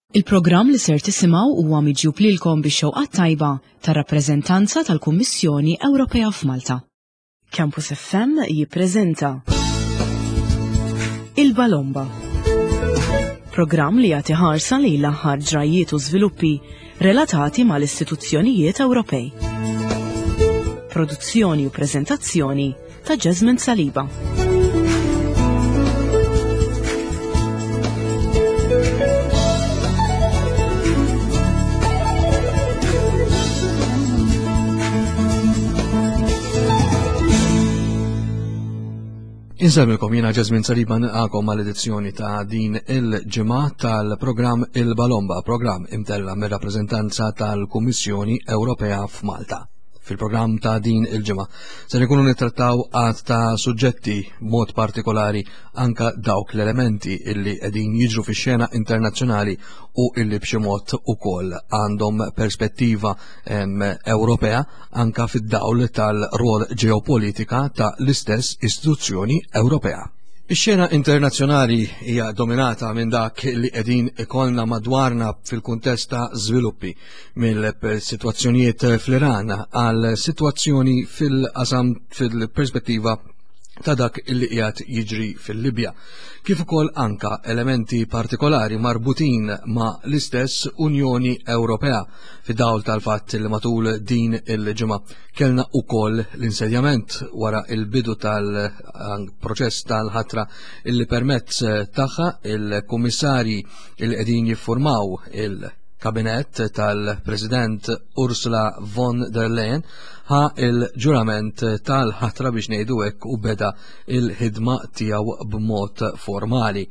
Il-programm li ser tisimgħu huwa miġjub lilkom bix-xewqat tajba tar-rappreżentanza tal-Kummissjoni Ewropea f'Malta. Campus FM jippreżenta Il-Balomba. Programm li jagħti ħarsa lejn l-aħħar ġrajjiet u żviluppi relatati mal-istituzzjonijiet Ewropej. Produzzjoni u preżentazzjoni ta' Jasmine Saliba. Insellmilkom jiena Jasmine Saliba nilqakom għal edizzjoni ta' din il-ġimgħa tal-programm Il-Balomba, programm imtella mir-rappreżentanza tal-Kummissjoni Ewropea f'Malta. Fil-programm ta' din il-ġimgħa se nkunu nittrattaw għad ta' suġġetti mod partikolari anka dawk l-elementi illi qegħdin jiġru fix-xena internazzjonali u illi b'xi mod ukoll għandhom perspettiva Ewropea anka fid-dawl tal-rol ġeopolitika ta' l-istess istituzzjoni Ewropea. Ix-xena internazzjonali hija dominata minn dak li qegħdin ikollna madwarna fil-kuntest ta' żviluppi mill-sitwazzjonijiet fl-Iran għal sitwazzjoni fil-qasam fil-perspettiva ta' dak li qiegħed jiġri fil-Libja, kif ukoll anka elementi partikolari marbutin ma' l-istess Unjoni Ewropea fid-dawl tal-fatt li matul din il-ġimgħa kellna ukoll l-insedjament wara il-bidu tal-proċess tal-ħatra illi permezz tagħha il-kummissarji il qegħdin jiffurmaw il- kabinett tal-President Ursula von der Leyen ħa il-ġurament tal-ħatra biex ngħidu hekk u beda il-ħidma tiegħu b'mod formali.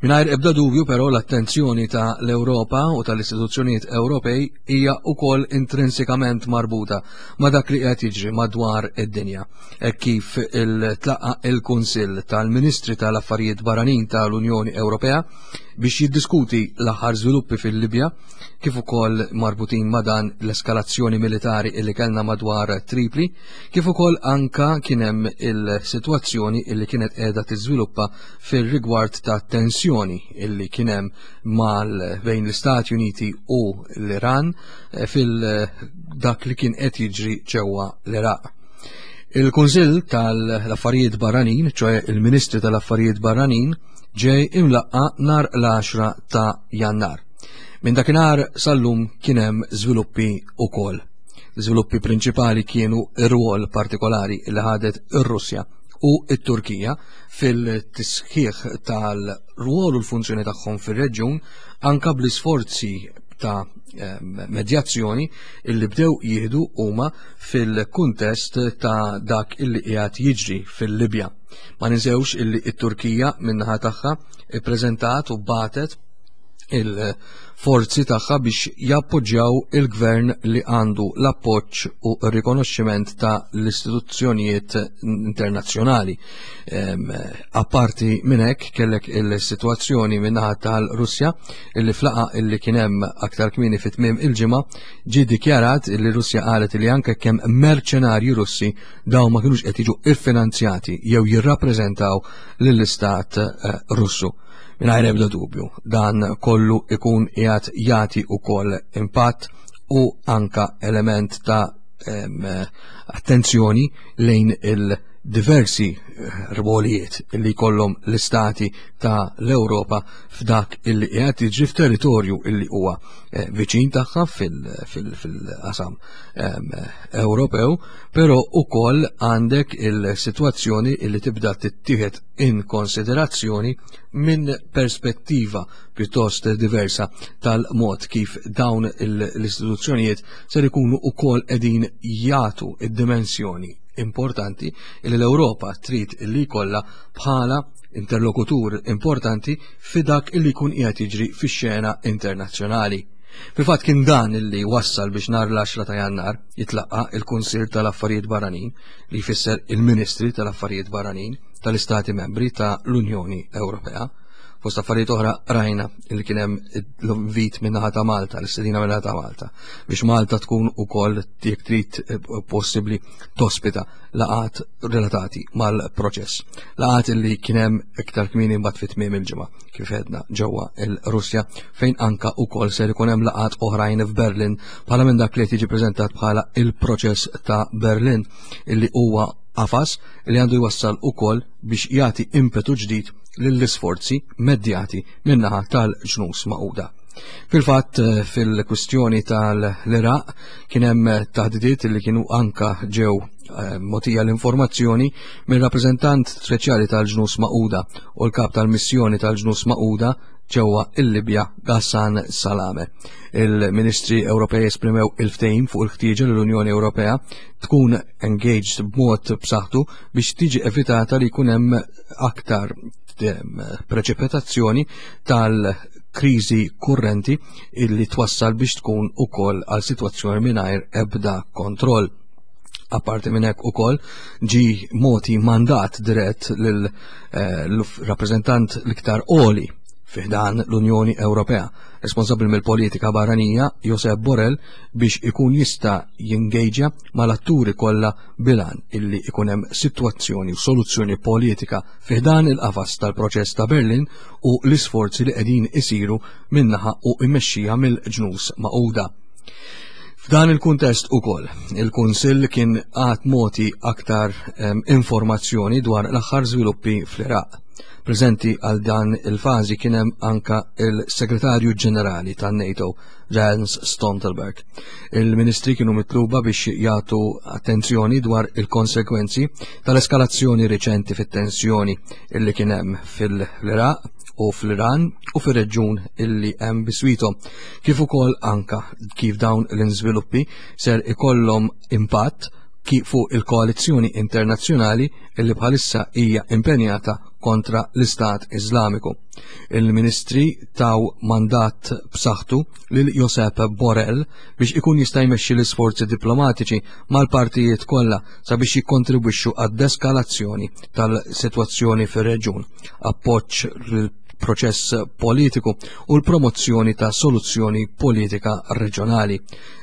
Mingħajr ebda dubju però l-attenzjoni ta' l-Ewropa u tal-istituzzjonijiet Ewropej hija wkoll intrinsikament marbuta ma' dak li qed jiġri madwar id-dinja. Hekk kif il-tlaqa il-Kunsill tal-Ministri tal-Affarijiet Barranin tal-Unjoni Ewropea biex jiddiskuti l-aħħar żviluppi fil-Libja kif ukoll marbutin ma' dan l-eskalazzjoni militari illi kellna madwar Tripli, kif ukoll anka kien hemm il-sitwazzjoni illi kienet qiegħda tiżviluppa fir-rigward ta' tensjoni illi kien hemm mal bejn l-Istati Uniti u l-Iran eh, fil dak li kien qed jiġri ġewwa l-Iraq. Il-Kunsill tal-Affarijiet Barranin, ċoe il-Ministri tal-Affarijiet Barranin, ġej imlaqqa nar l-10 ta' Jannar. Minn dakinhar sal-lum kien hemm żviluppi ukoll. L-iżviluppi prinċipali kienu ir-rwol partikolari li ħadet ir-Russja u t-Turkija fil-tisħiħ tal-rwol u l-funzjoni tagħhom fir-reġjun anka bl-isforzi ta' medjazzjoni illi bdew jieħdu huma fil-kuntest ta' dak illi qiegħed jiġri fil-Libja. Ma ninsewx illi t-Turkija min-naħa tagħha ippreżentat u batet il-forzi tagħha biex jappoġġjaw il-gvern li għandu l-appoġġ u r-rikonoxximent ta' l-istituzzjonijiet internazzjonali. Apparti minn hekk kellek il-sitwazzjoni min-naħa tal-Russja illi flaqa illi kien hemm aktar kmieni fit tmiem il-ġimgħa ġie dikjarat illi Russja qalet li anke kemm merċenarji Russi dawn ma kinux qed jiġu iffinanzjati jew jirrappreżentaw lill-istat eh, Russu. Mingħajr ebda dubju, dan kollu ikun qiegħed jagħti wkoll impatt u anka element ta' attenzjoni lejn il-diversi eh, rwolijiet li jkollhom l-istati ta' l-Ewropa f'dak illi qiegħed jiġri f'territorju illi huwa eh, viċin tagħha fil-qasam Ewropew, però ukoll għandek il-sitwazzjoni illi tibda tittieħed in konsiderazzjoni minn perspettiva pjuttost diversa tal-mod kif dawn l-istituzzjonijiet ser ikunu ukoll qegħdin jagħtu id-dimensjoni importanti li l-Ewropa trid li jkollha bħala interlokutur importanti fi dak illi jkun qiegħed jiġri fix-xena internazzjonali. Fil-fatt kien dan illi wassal biex nhar l-10 ta' Jannar jitlaqqa il-Kunsill tal-Affarijiet Barranin li jfisser il-Ministri tal-Affarijiet Barranin tal-Istati Membri ta' l-Unjoni Ewropea. Fost affarijiet oħra rajna li kien hemm l-invit min-naħa ta' Malta, l-istedina min-naħa ta' Malta, biex Malta tkun ukoll jekk trid eh, possibbli tospita laqat relatati mal-proċess. Laqat li kien hemm iktar kmieni mbagħad fit tmiem il-ġimgħa kif edna ġewwa il-Russja fejn anka ukoll ser ikun hemm laqat oħrajn f'Berlin bħala minn dak li qed jiġi preżentat bħala il-proċess ta' Berlin illi huwa qafas li għandu jwassal ukoll biex jagħti impetu ġdid lill-isforzi medjati min-naħa tal-ġnus Magħquda. Fil-fatt, eh, fil-kwistjoni tal-Iraq kien hemm taħdidiet li kienu anka ġew eh, mogħtija l-informazzjoni minn rappreżentant speċjali tal-ġnus Magħquda u l-kap tal-missjoni tal-ġnus Magħquda ġewwa il-Libja Ghassan Salame. Il-Ministri Ewropej esprimew il-ftehim fuq il-ħtieġa li l-Unjoni Ewropea tkun engaged b'mod b'saħħtu biex tiġi evitata li jkun hemm aktar preċipitazzjoni tal-kriżi kurrenti illi twassal biex tkun ukoll għal sitwazzjoni mingħajr ebda kontroll. Apparti minn hekk ukoll ġi moti mandat dirett lil eh, rappreżentant l-iktar qoli fiħdan l-Unjoni Ewropea, responsabbli mill-politika barranija Josep Borrell biex ikun jista' jingejġa mal-atturi kollha bilan illi ikun hemm sitwazzjoni u soluzzjoni politika fiħdan il-qafas tal-proċess ta' Berlin u l-isforzi li qegħdin isiru minnaħa u immexxija mill-ġnus Magħquda. F'dan il-kuntest ukoll, il-Kunsill kien għad moti aktar informazzjoni dwar l-aħħar żviluppi fl-Iraq. Preżenti għal dan il-fażi kien hemm anka il-Segretarju Ġenerali tan-NATO, Jens Stoltenberg. Il-ministri kienu mitluba biex jagħtu attenzjoni dwar il-konsekwenzi tal-eskalazzjoni riċenti fit-tensjoni illi kien hemm fil-Iraq u fl-Iran u fir-reġjun illi hemm biswito, kif ukoll anka kif dawn l-inżviluppi ser ikollhom impatt kif fuq il-koalizzjoni internazzjonali illi bħalissa hija impenjata kontra l-Istat Iżlamiku. Il-ministri taw mandat b'saħħtu lil Josep Borrell biex ikun jista' jmexxi l-isforzi diplomatiċi mal-partijiet kollha sabiex jikkontribwixxu għad-deskalazzjoni tal-sitwazzjoni fir-reġjun, appoġġ proċess politiku u l-promozzjoni ta' soluzzjoni politika reġjonali.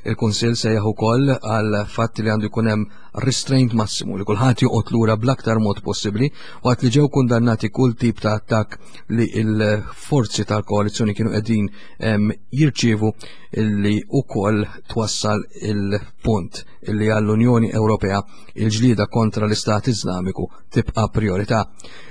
Il-Kunsill sejjaħ ukoll għal fatt li għandu jkun hemm restraint massimu li kulħadd joqgħod lura bl-aktar mod possibbli waqt li ġew kundannati kull tip ta' attakk li l-forzi tal-koalizzjoni kienu qegħdin jirċievu li ukoll twassal il-punt li għall-Unjoni Ewropea il-ġlieda kontra l-Istat Iżlamiku tibqa' priorità.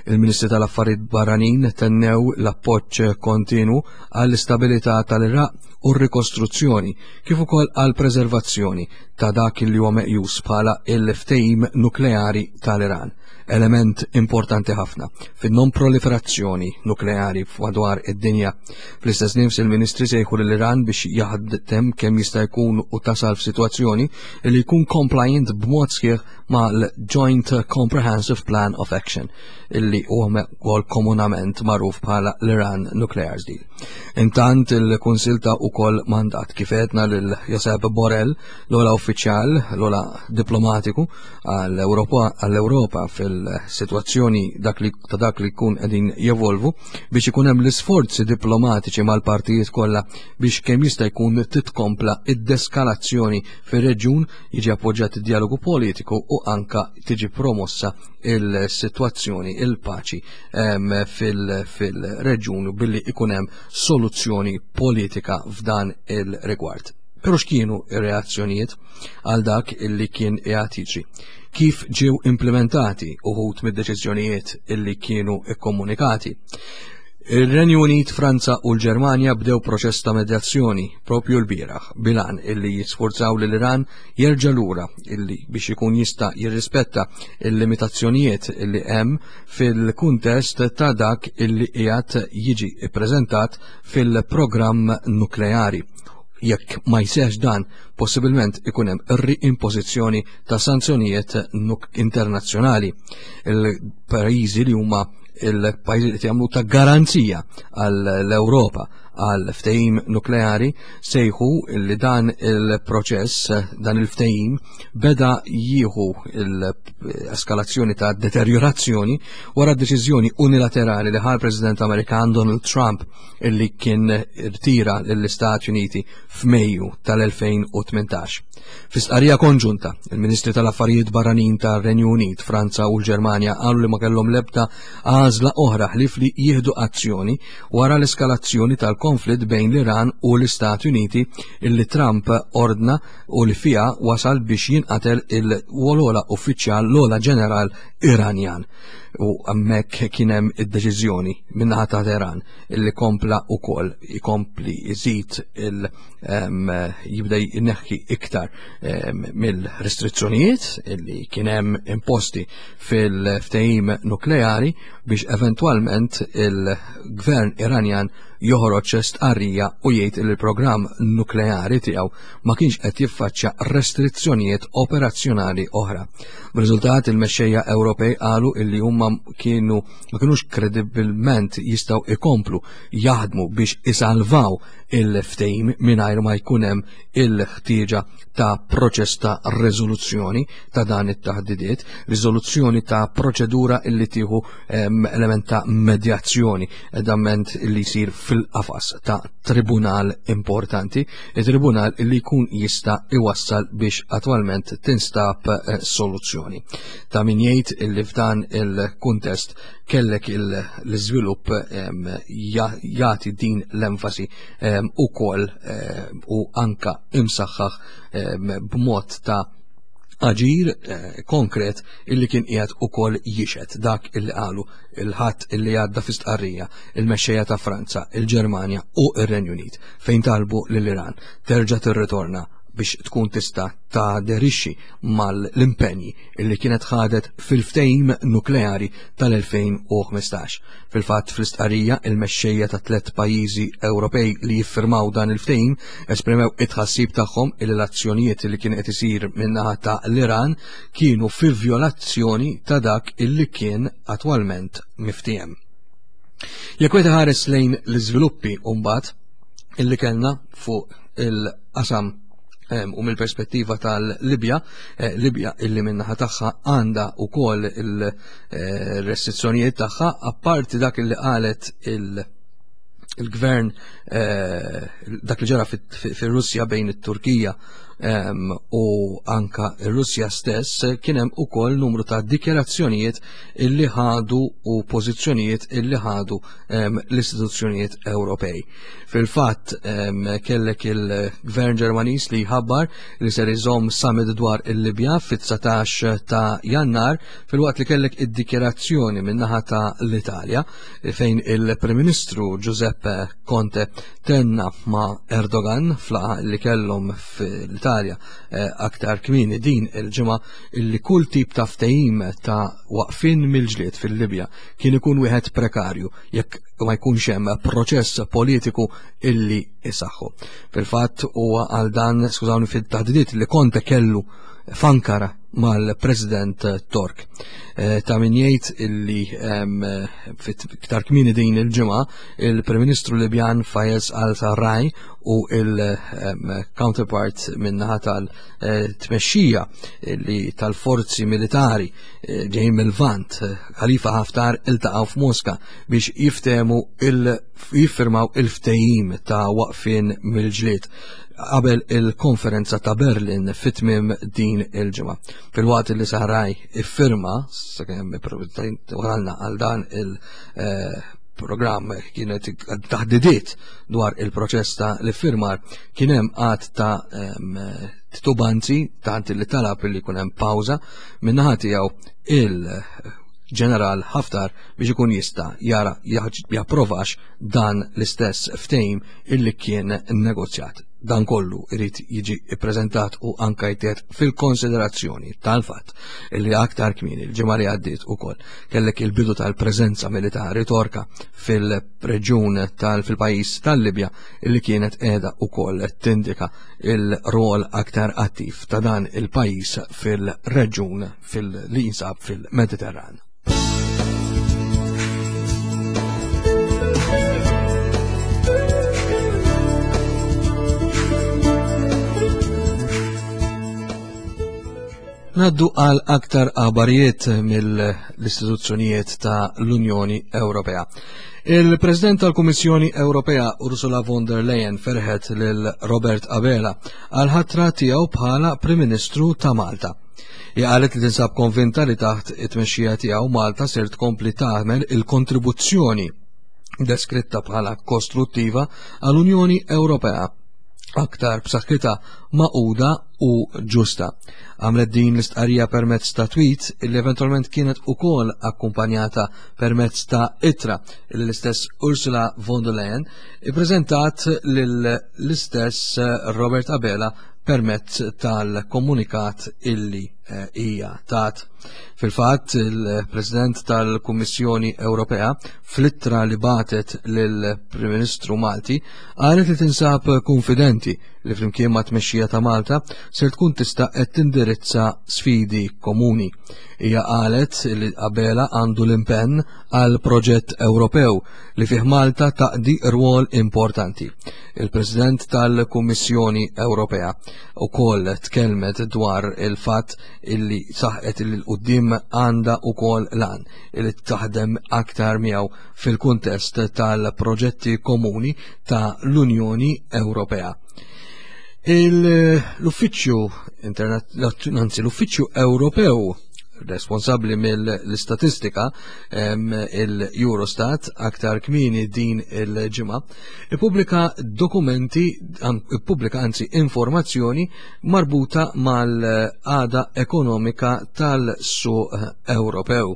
Il-Ministri tal-Affarijiet Barranin tennew l-appoġġ kontinu għall-istabilità tal-Iraq u r-rikostruzzjoni kif ukoll għal preservazzjoni ta' dak li huwa meqjus bħala il-ftehim nukleari tal-Iran, element importanti ħafna fin-non-proliferazzjoni nukleari madwar id-dinja. Fl-istess nifs il-Ministri sejħu lill-Iran biex jaħdem kemm jista' jkun u tasal f'sitwazzjoni li jkun compliant b'mod sħiħ mal-Joint Comprehensive Plan of Action illi huwa wkoll komunament magħruf bħala l-Iran Nuclear Deal. Intant il-Kunsil ta' ukoll mandat kif għedna lil Josep Borrell, l-ola uffiċjal, l-ola diplomatiku għall-Ewropa fil-sitwazzjoni dak li ta' dak li jkun qegħdin jevolvu biex ikun hemm l-isforzi diplomatiċi mal-partijiet kollha biex kemm jista' jkun titkompla id-deskalazzjoni fir-reġjun, jiġi appoġġjat id-dialogu politiku u anka tiġi promossa il-sitwazzjoni, il-paċi fil-reġjun billi ikun hemm soluzzjoni politika f'dan il-rigward. Pero x'kienu ir-reazzjonijiet għal dak illi kien qiegħed jiġri? Kif ġew implementati uħud mid-deċiżjonijiet illi kienu ikkomunikati? Ir-Renju Unit, Franza u l-Ġermanja bdew proċess ta' medjazzjoni propju l-bieraħ bilan illi jisforzaw lil Iran jerġa' lura illi biex ikun jista' jirrispetta il-limitazzjonijiet illi hemm fil-kuntest ta' dak illi qiegħed jiġi ppreżentat fil-programm nukleari. Jekk ma jseħx dan, possibilment ikun hemm riimpożizzjoni ta' sanzjonijiet internazzjonali. Il-pajjiżi li huma il-pajjiżi li jagħmlu ta' garanzija għall-Ewropa għal ftehim nukleari sejħu li dan il-proċess, dan il-ftehim beda jieħu l-eskalazzjoni ta' deteriorazzjoni wara deċiżjoni unilaterali li ħa l-President Amerikan Donald Trump illi kien irtira lill-Istati Uniti f'Mejju tal-2018. Fi stqarrija konġunta, il-Ministri tal-Affarijiet Barranin tar-Renju Unit, Franza u l-Ġermanja qalu li ma kellhom l-ebda għażla oħra ħlief li jieħdu azzjoni wara l-eskalazzjoni tal-konflitt bejn l-Iran u l-Istati Uniti illi Trump ordna u li fiha wasal biex jinqatel il-wolola uffiċjal l-ola ġeneral Iranjan. U hemmhekk kien hemm id-deċiżjoni min-naħa ta' Teheran illi kompla ukoll ikompli jżid il jibda jneħħi iktar mill-restrizzjonijiet illi kien hemm imposti fil-ftehim nukleari biex eventwalment il-gvern Iranjan joħroġ stqarrija u jgħid li l-programm nukleari tiegħu ma kienx qed jiffaċċja restrizzjonijiet operazzjonali oħra. B'riżultat il-mexxejja Ewropej qalu illi huma kienu ma kinux kredibilment jistgħu ikomplu jaħdmu biex isalvaw il-ftehim mingħajr ma jkun hemm il-ħtieġa ta' proċess ta' riżoluzzjoni ta' dan it-taħdidiet, riżoluzzjoni ta' proċedura illi tieħu element ta' medjazzjoni, edament illi jsir fil-qafas ta' tribunal importanti, il-tribunal illi jkun jista' iwassal biex attwalment tinstab eh, soluzzjoni. Ta' min jgħid illi f'dan il-kuntest kellek l-iżvilupp jagħti din l-enfasi ukoll u anka imsaħħaħ b'mod ta' aġir eh, konkret illi kien qiegħed ukoll jixed dak illi qalu il-ħadd illi għadda fi stqarrija il-mexxejja ta' Franza, il-Ġermanja u ir-Renju Unit fejn talbu lill-Iran terġa' tirritorna biex tkun tista' taderixxi mal-impenji illi kienet ħadet fil-ftehim nukleari tal-2015. Fil-fatt fl-istqarrija il-mexxejja ta' tliet pajjiżi Ewropej li jiffirmaw dan il-ftehim esprimew it-tħassib tagħhom il l-azzjonijiet li kien qed isir min-naħa ta' l-Iran kienu fi vjolazzjoni ta' dak illi kien attwalment miftiehem. Jekk wieħed iħares lejn l-iżviluppi mbagħad illi kellna fuq il-qasam u mill-perspettiva tal-Libja, eh, Libja illi minnaħa tagħha għandha wkoll il-restrizzjonijiet tagħha, apparti dak illi qalet il-gvern eh, dak li ġara fir-Russja bejn it-Turkija u anka ir-Russja stess kien hemm ukoll numru ta' dikjarazzjonijiet illi ħadu u pożizzjonijiet illi ħadu l-istituzzjonijiet Ewropej. Fil-fatt kellek il-Gvern Ġermaniż li jħabbar li ser iżomm summit dwar il-Libja fit-19 ta' Jannar filwaqt li kellek id-dikjerazzjoni min-naħa ta' l-Italja fejn il-Prim Ministru Giuseppe Conte tenna ma' Erdogan flaqa li kellhom fl-Italja eh, aktar kmieni din il-ġimgħa illi kull tip ta' ftehim ta' waqfin mill-ġlied fil-Libja kien ikun wieħed prekarju jekk ma jkunx hemm proċess politiku illi isaħħu. Fil-fatt huwa għal dan, skużawni fit-taħdidiet li Conte kellu f'Ankara mal-President Tork. Eh, ta' min jgħid illi fit-iktar kmieni din il-ġimgħa il-Prim Ministru Libjan Fayez Al-Sarraj u il-counterpart min-naħa tal-tmexxija li tal-forzi militari eh, ġejjin mill-Lvant, Khalifa Haftar iltaqgħu f'Moska biex jiftehmu il jiffirmaw il-ftehim ta' waqfien mill-ġlied qabel il-konferenza ta' Berlin fit-tmiem din il-ġimgħa. Filwaqt li Saraj iffirma, sakemm wasalna għal dan il-programm eh, kienet taħdidiet dwar il-proċess ta' l-iffirmar, kien hemm għad ta' titubanzi tant li talab li jkun hemm pawża min-naħa tiegħu il-ġeneral Haftar biex ikun jista' jara japprovax dan l-istess ftehim illi kien negozjat. Dan kollu irid jiġi ippreżentat u anka jtiet fil-konsiderazzjoni tal-fatt illi aktar kmieni l-ġimgħa li għaddiet ukoll kellek il-bidu tal-preżenza militari Torka fil-reġjun tal fil-pajjiż tal-Libja illi kienet qiegħda ukoll tindika il-rol aktar attiv ta' dan il-pajjiż fil-reġjun fil-li jinsab fil-Mediterran. Naddu għal aktar aħbarijiet mill-istituzzjonijiet ta' l-Unjoni Ewropea. Il-President tal-Kummissjoni Ewropea Ursula von der Leyen ferħet lil Robert Abela għal ħatra tiegħu bħala Prim Ministru ta' Malta. Hija qalet li tinsab konvinta li taħt it-tmexxija tiegħu Malta ser tkompli tagħmel il-kontribuzzjoni deskritta bħala kostruttiva għall-Unjoni Ewropea aktar b'saħħitha maquda u ġusta. Għamlet din l-istqarrija permezz ta' tweet illi eventwalment kienet ukoll akkumpanjata permezz ta' ittra li l-istess Ursula von der Leyen ippreżentat lill-istess Robert Abela permezz tal-komunikat illi eh, hija tat. Fil-fatt, il-President tal-Kummissjoni Ewropea fl-ittra li batet lill-Prim Ministru Malti qalet li tinsab konfidenti li flimkien ma' tmexxija ta' Malta ser tkun tista' qed tindirizza sfidi komuni. Hija qalet li Abela għandu l-impenn għal proġett Ewropew li fih Malta taqdi rwol importanti. Il-President tal-Kummissjoni Ewropea ukoll tkellmet dwar il-fatt illi saħqet li l-qudiem għandha ukoll lan li taħdem aktar miegħu fil-kuntest tal-proġetti komuni ta' l-Unjoni Ewropea. L-Uffiċċju anzi l-Uffiċċju Ewropew responsabbli mill-istatistika il-Eurostat aktar kmini din il-ġimgħa ippubblika dokumenti ippubblika anzi informazzjoni marbuta mal-għada ekonomika tal-suq Ewropew.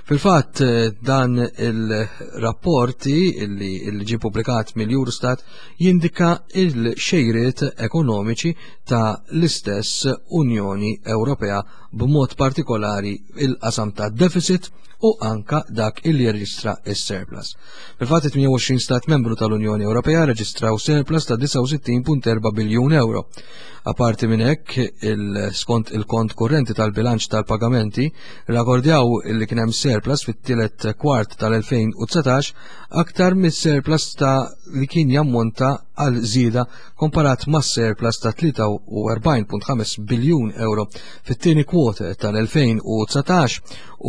Fil-fatt dan il-rapporti li ġie pubblikat mill-Eurostat jindika il-xejriet ekonomiċi ta' l-istess Unjoni Ewropea b'mod partikolari il-qasam ta' deficit u anka dak il jirreġistra is-surplus. Fil-fatt 28 stat membru tal-Unjoni Ewropea reġistraw surplus ta' 69.4 biljun euro. Aparti minn hekk, skont il-kont kurrenti tal-bilanċ tal-pagamenti, rrakordjaw li kien hemm surplus fit-tielet kwart tal-2019 aktar mis-surplus ta' li kien jammonta għal żieda komparat ma' surplus ta' 43.5 biljun euro fit-tieni kwota tal-2019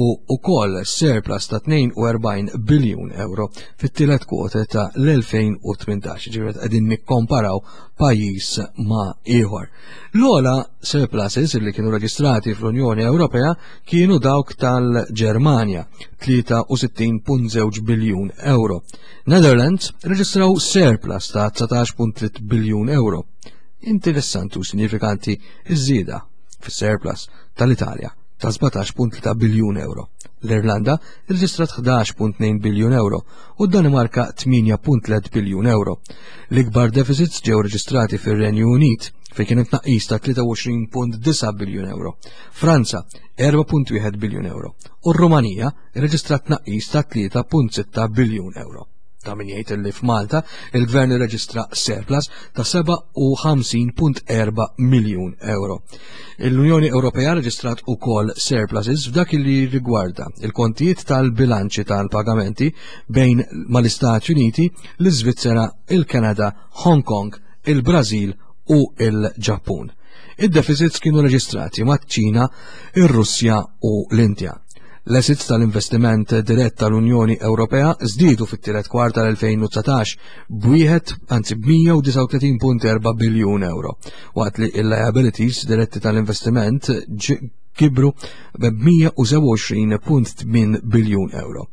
u wkoll surplus ta' 42 biljun euro fit-tielet kwota ta' l-2018. Ġifieri qegħdin nikkomparaw pajjiż ma' ieħor. L-ogħla surpluses li kienu reġistrati fl-Unjoni Ewropea kienu dawk tal-Ġermanja, 63.2 biljun euro. Netherlands reġistraw surplus ta' 19.3 biljun euro. Interessanti u sinifikanti iż-żieda fis-surplus tal-Italja ta' 17.3 biljun euro. L-Irlanda rreġistrat 11.2 biljun euro u d-Danimarka 8.3 biljun euro. L-ikbar deficits ġew reġistrati fir-Renju Unit fejn kien hemm tnaqqis ta' 23.9 biljun euro, Franza 4.1 biljun euro u r-Rumanija rreġistrat tnaqqis ta' 3.6 biljun euro. Ta' min jgħid li f'Malta il-gvern irreġistra surplus ta' 57.4 miljun euro. L-Unjoni Ewropea reġistrat ukoll surpluses f'dak li rigwarda il-kontijiet tal-bilanċi tal-pagamenti bejn mal-Istati Uniti, l-Iżvizzera, il-Kanada, Hong Kong, il-Brażil u il-Ġappun. Id-deficits kienu reġistrati maċ-Ċina, ir-Russja u l-Indja. L-assets tal-investiment dirett tal-Unjoni Ewropea żdiedu fit-tielet kwart tal-2019 b'wieħed anzi b'139.4 biljun euro, waqt li l-liabilities diretti tal-investiment kibru b'127.8 biljun euro.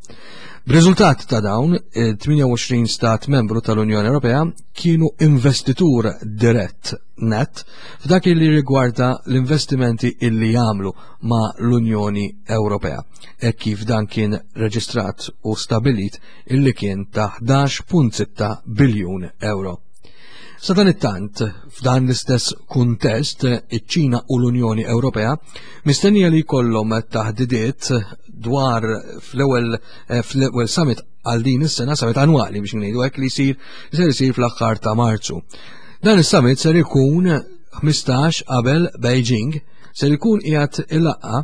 B'riżultat ta' dawn, 28 stat membru tal-Unjoni Ewropea kienu investitur dirett net f'dak li rigwarda l-investimenti illi jagħmlu ma' l-Unjoni Ewropea, hekk kif dan kien reġistrat u stabilit illi kien ta' 11.6 biljun euro. Sadanittant, f'dan l-istess kuntest, iċ-Ċina u l-Unjoni Ewropea mistennija li jkollhom taħdidiet dwar fl-ewwel eh, fl-ewwel summit għal din is-sena, summit annwali biex ngħidu hekk li jsir ser isir fl-aħħar ta' Marzu. Dan is-summit ser ikun 15 qabel Beijing ser ikun qiegħed ilaqqa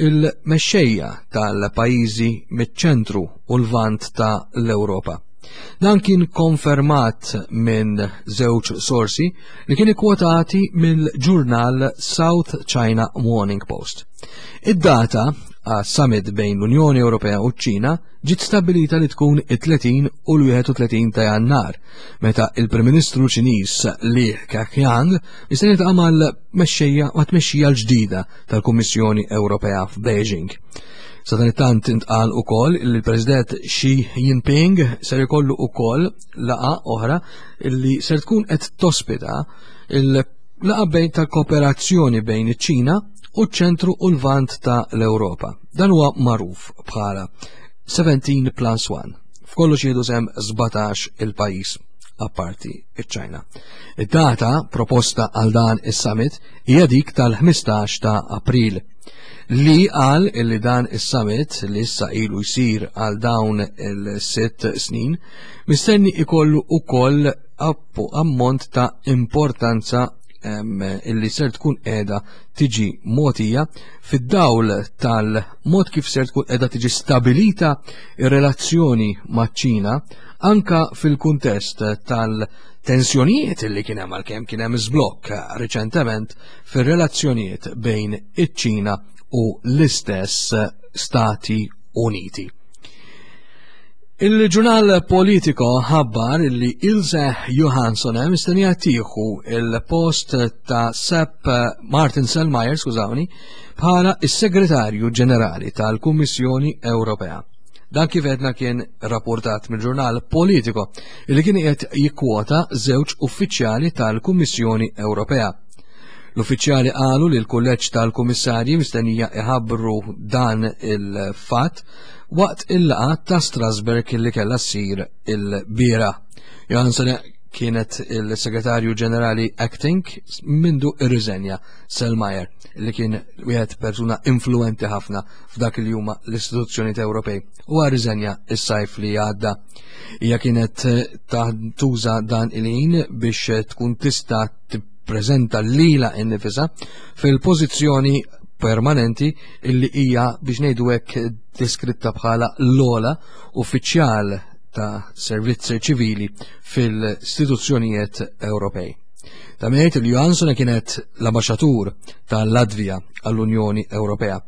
il-mexxejja tal-pajjiżi miċ-ċentru u l-vant ta' l-Ewropa. Dan kien konfermat minn żewġ sorsi li kien ikkwotati mill-ġurnal South China Morning Post. Id-data għas summit bejn l-Unjoni Ewropea u ċ-Ċina ġiet stabbilita li tkun it-30 u l-31 ta' Jannar, meta il-Prim Ministru Ċiniż Li Keqiang mistenni jiltaqa' mal-mexxejja ma' tmexxija l-ġdida tal-Kummissjoni Ewropea f'Beijing. Sadanittant intqal ukoll li l-President Xi Jinping ser ikollu ukoll laqa oħra li ser tkun qed tospita il-laqa bejn tal-kooperazzjoni bejn iċ-Ċina u ċ-ċentru u l-vant ta' l-Ewropa. Dan huwa magħruf bħala 17 plus 1. F'kollox jieħdu sem 17 il-pajjiż apparti iċ-Ċina. Id-data proposta għal dan is-summit hija dik tal-15 ta' April. Li qal illi dan is-summit li issa ilu jsir għal dawn il-sitt snin mistenni ikollu ukoll ammont ta' importanza illi ser tkun qiegħda tiġi mogħtija fid-dawl tal-mod kif ser tkun qiegħda tiġi stabilita ir-relazzjoni maċ-Ċina anka fil-kuntest tal-tensjonijiet illi kien hemm għalkemm kien hemm żblokk riċentement fir-relazzjonijiet bejn iċ-Ċina u l-istess Stati Uniti. Il-ġurnal Politico ħabbar li Ilse Johansson mistennija tieħu il-post ta' Sepp Martin Selmayr, skużawni, bħala is-Segretarju Ġenerali tal-Kummissjoni Ewropea. Dan kif edna kien rapportat mill-ġurnal Politico li kien qed jikkwota żewġ uffiċjali tal-Kummissjoni Ewropea. L-uffiċjali qalu li l-kulleġġ tal-kummissarji mistennija iħabbru dan il-fatt waqt il-laqgħa ta' Strasberg li kellha ssir il-biera. Johansson kienet il-segretarju ġenerali acting mindu irriżenja Selmayr li kien wieħed persuna influenti ħafna f'dak li huma l-istituzzjonijiet Ewropej u rriżenja s-sajf li għadda. Hija kienet tuża dan il-ħin biex tkun tista' tippreżenta lilha innifisha fil-pożizzjoni permanenti illi hija biex ngħidu hekk deskritta bħala l-ola uffiċjal ta' servizzi ċivili fil-istituzzjonijiet Ewropej. Ta' ngħid li Johansson kienet l-ambaxxatur tal-Latvija għall-Unjoni Ewropea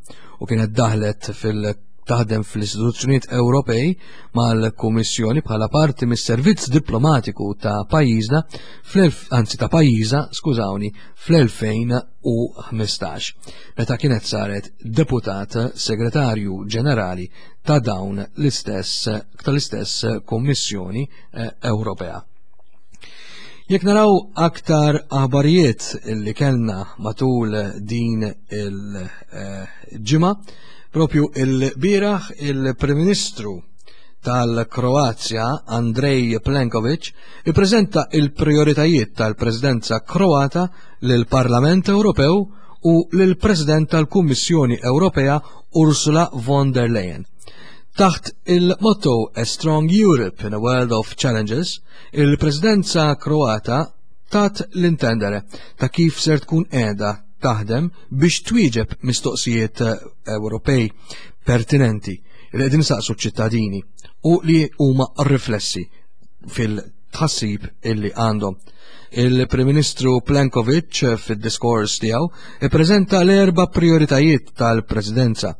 u kienet daħlet fil- taħdem fl-istituzzjonijiet Ewropej mal-Kummissjoni bħala parti mis-servizz diplomatiku ta' pajjiżna anzi ta' pajjiża, skużawni, fl-2015, meta kienet saret deputat segretarju ġenerali ta' dawn l-istess tal-istess Kummissjoni eh, Ewropea. Jekk naraw aktar aħbarijiet li kellna matul din il-ġimgħa, propju il-bieraħ il-Prim Ministru tal-Kroazja Andrej Plenkovic ippreżenta il-prioritajiet tal-Presidenza Kroata lill-Parlament Ewropew u lill-President tal-Kummissjoni Ewropea Ursula von der Leyen. Taħt il-motto A Strong Europe in a World of Challenges, il-Presidenza Kroata tat l-intendere ta' kif ser tkun qiegħda taħdem biex twieġeb mistoqsijiet Ewropej pertinenti li qegħdin saqsu ċ-ċittadini u li huma riflessi fil-tħassib illi għandhom. Il-Prim Ministru Plenkovic fid-diskors tiegħu ippreżenta l-erba' prioritajiet tal-Presidenza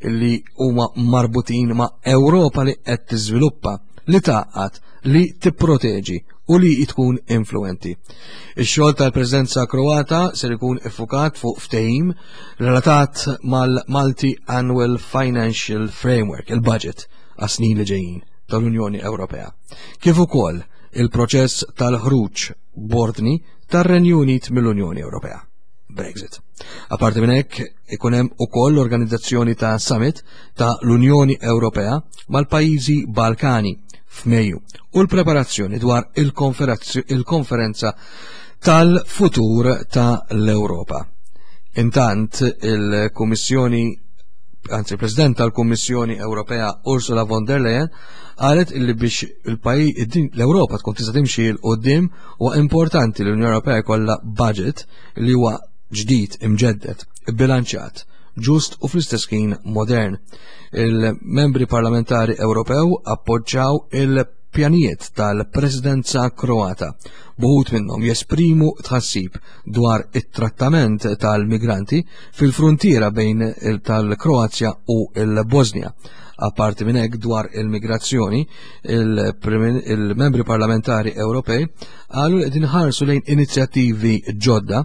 illi huma marbutin ma' Ewropa li qed tiżviluppa, li tgħaqqad, li tipproteġi u li tkun influenti. Ix-xogħol tal-Presidenza Kroata ser ikun iffukat fuq ftehim relatat mal-Multi Annual Financial Framework, il-budget għas-snin li ġejjin tal-Unjoni Ewropea. Kif ukoll il-proċess tal-ħruġ b'ordni tar-Renju Unit mill-Unjoni Ewropea. Brexit. Apparti minn hekk ikun hemm ukoll l-organizzazzjoni ta' summit ta' l-Unjoni Ewropea mal-pajjiżi Balkani f'Mejju u l-preparazzjoni dwar il-konferenza tal-futur ta' l-Ewropa. Intant il-Kummissjoni anzi il-President tal-Kummissjoni Ewropea Ursula von der Leyen qalet illi biex il-pajjiż l-Ewropa tkun tista' timxi 'l quddiem huwa importanti li l-Unjoni Ewropea jkollha budget li huwa ġdid, imġedded, bilanċjat, ġust u fl-istess ħin modern. Il-membri parlamentari Ewropew appoġġjaw il- il-pjanijiet tal-Presidenza Kroata, b'uħud minnhom jesprimu tħassib dwar it-trattament tal-migranti fil-fruntiera bejn tal-Kroazja u l-Bosnia. Apparti minn hekk dwar il-migrazzjoni, il-membri parlamentari Ewropej qalu li qegħdin ħarsu lejn inizjattivi ġodda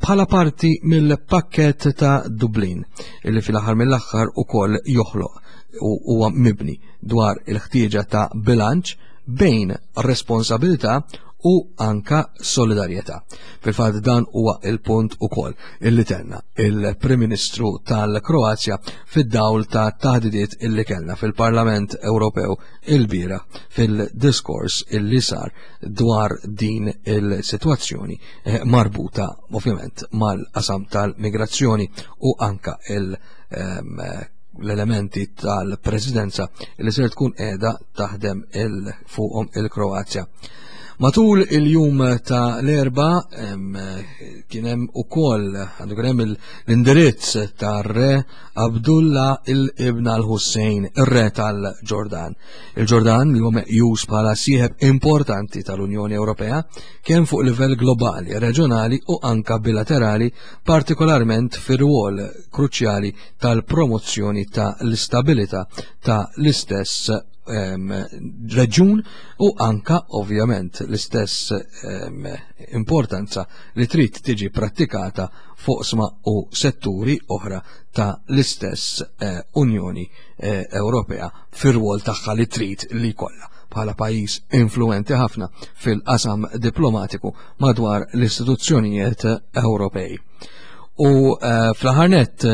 bħala parti mill-pakket ta' Dublin, illi fil-aħħar mill-aħħar ukoll joħloq u huwa mibni dwar il-ħtieġa ta' bilanċ bejn responsabilità u anka solidarjetà. Fil-fatt dan huwa il-punt ukoll illi tenna il-Prim Ministru tal-Kroazja fid-dawl ta' taħdidiet illi kellna fil-Parlament Ewropew il-bira fil-diskors illi sar dwar din il-sitwazzjoni eh, marbuta ovvjament mal-qasam tal-migrazzjoni u anka il- ehm, l-elementi tal-presidenza li ser tkun qiegħda taħdem il fuqhom il-Kroazja. Matul il-jum ta' l-erba kien hemm ukoll għandu kien hemm l-indirizz tar-re Abdullah il-Ibn al-Hussein, ir-re tal-Ġordan. Il-Ġordan li huwa meqjus bħala sieħeb importanti tal-Unjoni Ewropea kemm fuq livell globali, reġjonali u anka bilaterali, partikolarment fir-rwol kruċjali tal-promozzjoni ta' l-istabilità ta' l-istess reġjun u anka ovvjament l-istess importanza li trid tiġi prattikata foqsma u setturi oħra ta' l-istess eh, Unjoni eh, Ewropea fir-rwol tagħha li trid li jkollha bħala pajjiż influenti ħafna fil-qasam diplomatiku madwar l-istituzzjonijiet Ewropej. U eh, fl-aħħar nett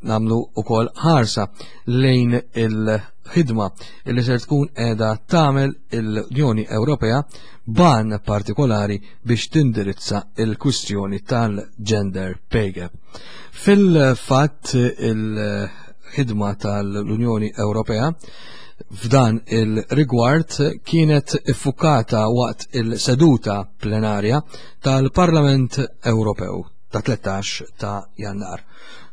nagħmlu wkoll ħarsa lejn il-ħidma li ser tkun qiegħda tagħmel l-Unjoni Ewropea ban partikolari biex tindirizza il-kwistjoni tal-gender pay gap. Fil-fatt il-ħidma tal-Unjoni Ewropea f'dan il-rigward kienet iffukata waqt il-seduta plenarja tal-Parlament Ewropew ta' 13 ta' Jannar.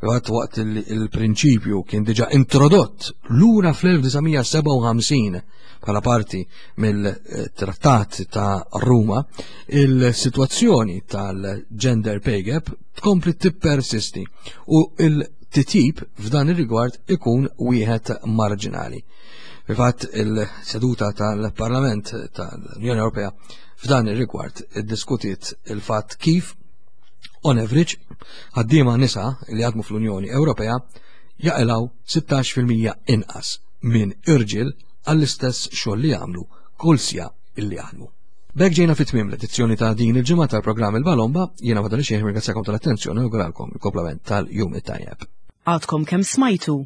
Waqt waqt il-prinċipju kien diġa introdott lura fl-1957 bħala parti mill-Trattat ta' Ruma, il-sitwazzjoni tal-gender pay gap tkompli tippersisti u il-titjib f'dan ir-rigward ikun wieħed marġinali. Fil-fatt il-seduta tal-Parlament tal-Unjoni Ewropea f'dan ir-rigward iddiskutiet il-fatt kif on average ħaddiema nisa li jaħdmu fl-Unjoni Ewropea jaqilgħu 16% inqas minn irġiel għall-istess xogħol li jagħmlu kull sija illi jaħdmu. B'hekk ġejna fi tmiem l-edizzjoni ta' din il-ġimgħa tal-programm Il-Balomba, jiena madwar xejn ringrazzjakom tal-attenzjoni u għalkom il-komplament tal-jum it-tajjeb. Għadkom kemm smajtu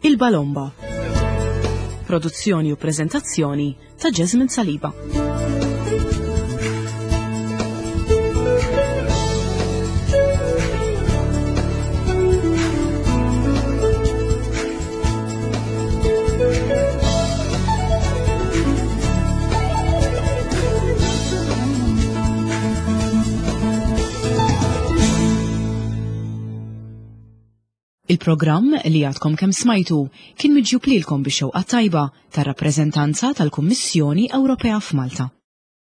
Il-Balomba. Produzzjoni u prezentazzjoni ta' Jasmine Saliba. Il-programm li għadkom kemm smajtu kien miġjub lilkom bix-xewqa tajba tar-rappreżentanza tal-Kummissjoni Ewropea f'Malta.